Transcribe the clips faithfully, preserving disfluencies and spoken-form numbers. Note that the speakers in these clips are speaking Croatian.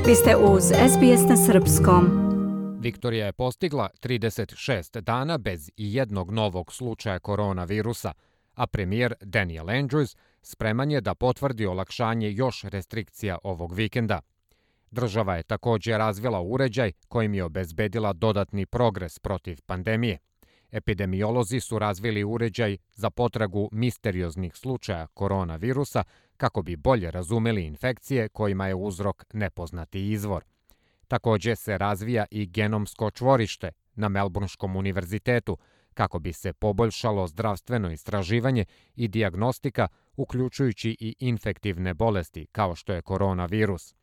Vi ste uz S B S na srpskom. Viktorija je postigla trideset šest dana bez ijednog novog slučaja koronavirusa, a premijer Daniel Andrews spreman je da potvrdi olakšanje još restrikcija ovog vikenda. Država je također razvila uređaj kojim je obezbedila dodatni progres protiv pandemije. Epidemiolozi su razvili uređaj za potragu misterioznih slučaja koronavirusa kako bi bolje razumeli infekcije kojima je uzrok nepoznati izvor. Također se razvija i genomsko čvorište na Melbourneskom univerzitetu kako bi se poboljšalo zdravstveno istraživanje i dijagnostika, uključujući i infektivne bolesti kao što je koronavirus.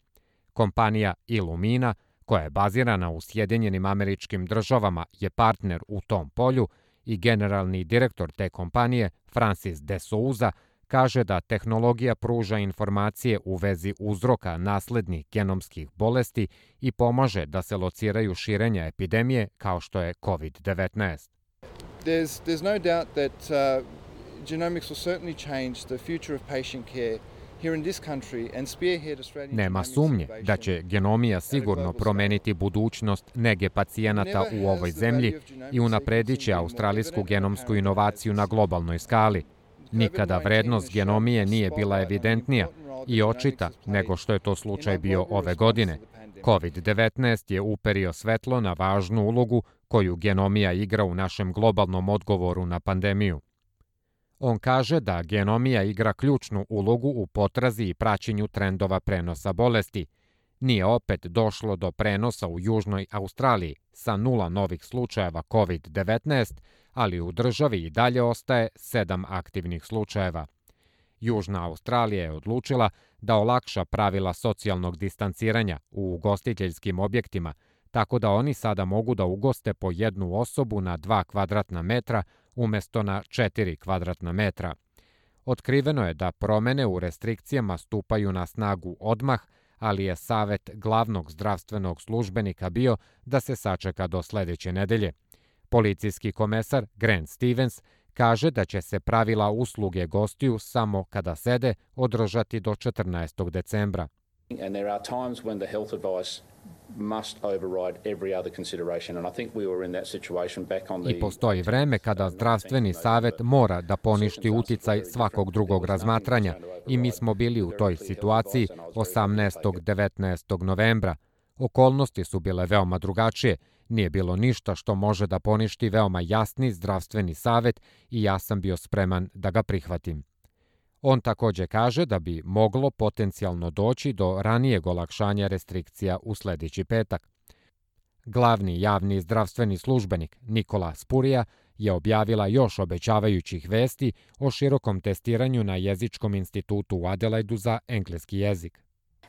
Kompanija Illumina, koja je bazirana u Sjedinjenim Američkim Državama, je partner u tom polju i generalni direktor te kompanije, Francis de Souza, kaže da tehnologija pruža informacije u vezi uzroka naslednih genomskih bolesti i pomaže da se lociraju širenja epidemije kao što je covid devetnaest. There's, there's no doubt that uh, genomics will certainly change the future of patient care here in this country and spearhead Australian. Nema sumnje da će genomija sigurno promeniti budućnost nege pacijenata u ovoj zemlji i unapredit će australijsku genomsku inovaciju na globalnoj skali. Nikada vrednost genomije nije bila evidentnija i očita nego što je to slučaj bio ove godine. covid devetnaest je uperio svetlo na važnu ulogu koju genomija igra u našem globalnom odgovoru na pandemiju. On kaže da genomija igra ključnu ulogu u potrazi i praćenju trendova prenosa bolesti. Nije opet došlo do prenosa u Južnoj Australiji sa nula novih slučajeva covid devetnaest, ali u državi i dalje ostaje sedam aktivnih slučajeva. Južna Australija je odlučila da olakša pravila socijalnog distanciranja u ugostiteljskim objektima, tako da oni sada mogu da ugoste po jednu osobu na dva kvadratna metra umjesto na četiri kvadratna metra. Otkriveno je da promene u restrikcijama stupaju na snagu odmah, ali je savjet glavnog zdravstvenog službenika bio da se sačeka do sljedeće nedelje. Policijski komesar Grant Stevens kaže da će se pravila usluge gostiju samo kada sede održati do četrnaestog decembra. And there are times when the health advice must override every other consideration, and I think we were in that situation back on the... I postoji vreme kada zdravstveni savjet mora da poništi uticaj svakog drugog razmatranja i mi smo bili u toj situaciji osamnaestog devetnaestog novembra. Okolnosti su bile veoma drugačije, nije bilo ništa što može da poništi veoma jasni zdravstveni savjet i ja sam bio spreman da ga prihvatim. On također kaže da bi moglo potencijalno doći do ranijeg olakšanja restrikcija u sljedeći petak. Glavni javni zdravstveni službenik Nikola Spurija je objavila još obećavajućih vesti o širokom testiranju na jezičkom institutu u Adelaidu za engleski jezik.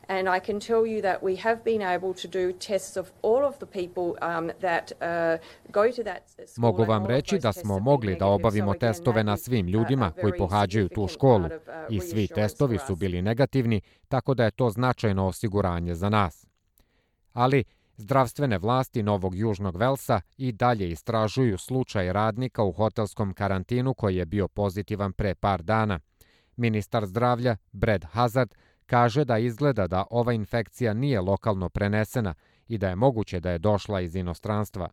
And I can tell you that we have been able to do tests of all of the people um, that uh, go to that school. Mogu vam reći da smo mogli da obavimo testove na svim ljudima koji pohađaju tu školu i svi testovi su bili negativni, tako da je to značajno osiguranje za nas. Ali zdravstvene vlasti Novog Južnog Velsa i dalje istražuju slučaj radnika u hotelskom karantinu koji je bio pozitivan pre par dana. Ministar zdravlja Brad Hazard kaže da izgleda da ova infekcija nije lokalno prenesena i da je moguće da je došla iz inostranstva.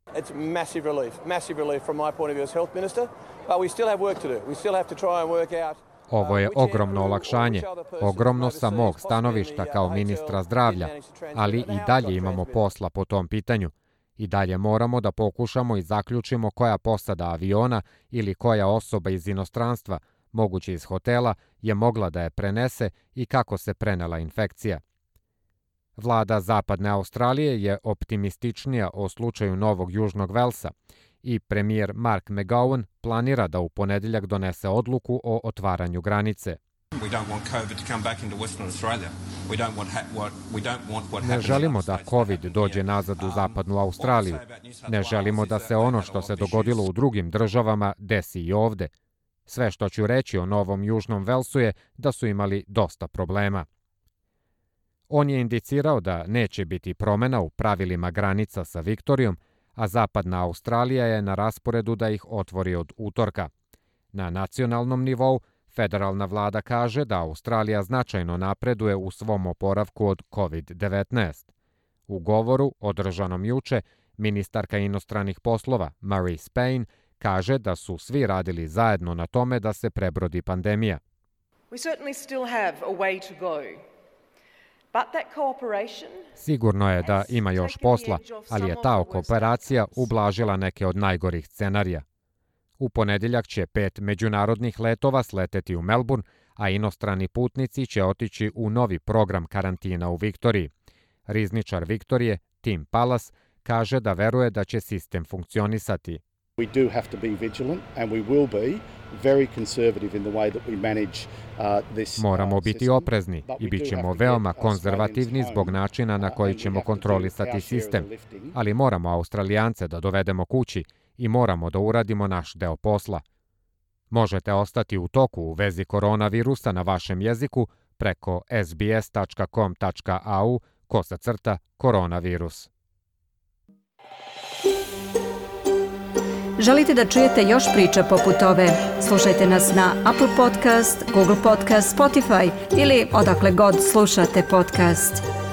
It's massive relief, massive relief from my point of view as health minister, but we still have work to do. We still have to try and work out. Ovo je ogromno olakšanje, ogromno sa mog stanovišta kao ministra zdravlja, ali i dalje imamo posla po tom pitanju. I dalje moramo da pokušamo i zaključimo koja posada aviona ili koja osoba iz inostranstva, moguće iz hotela, je mogla da je prenese i kako se prenela infekcija. Vlada Zapadne Australije je optimističnija o slučaju Novog Južnog Velsa i premijer Mark McGowan planira da u ponedjeljak donese odluku o otvaranju granice. Ne želimo da COVID dođe nazad u Zapadnu Australiju. Ne želimo da se ono što se dogodilo u drugim državama desi i ovde. Sve što ću reći o Novom Južnom Velsu je da su imali dosta problema. On je indicirao da neće biti promjena u pravilima granica sa Viktorijom, a Zapadna Australija je na rasporedu da ih otvori od utorka. Na nacionalnom nivou Federalna vlada kaže da Australija značajno napreduje u svom oporavku od kovid devetnaest. U govoru, održanom juče, ministarka inostranih poslova Marise Payne kaže da su svi radili zajedno na tome da se prebrodi pandemija. Sigurno je da ima još posla, ali je ta kooperacija ublažila neke od najgorih scenarija. U ponedjeljak će pet međunarodnih letova sleteti u Melbourne, a inostrani putnici će otići u novi program karantina u Viktoriji. Rizničar Viktorije, Tim Pallas, kaže da veruje da će sistem funkcionisati. We do have to be vigilant and we will be very conservative in the way that we manage uh, this. Moramo biti oprezni i bit ćemo veoma konzervativni zbog načina na koji ćemo kontrolisati sistem, ali moramo Australijance da dovedemo kući i moramo da uradimo naš deo posla. Možete ostati u toku u vezi koronavirusa na vašem jeziku preko s b s tačka com tačka a u kosacrta koronavirus. Želite da čujete još priča poput ove? Slušajte nas na Apple Podcast, Google Podcast, Spotify ili odakle god slušate podcast.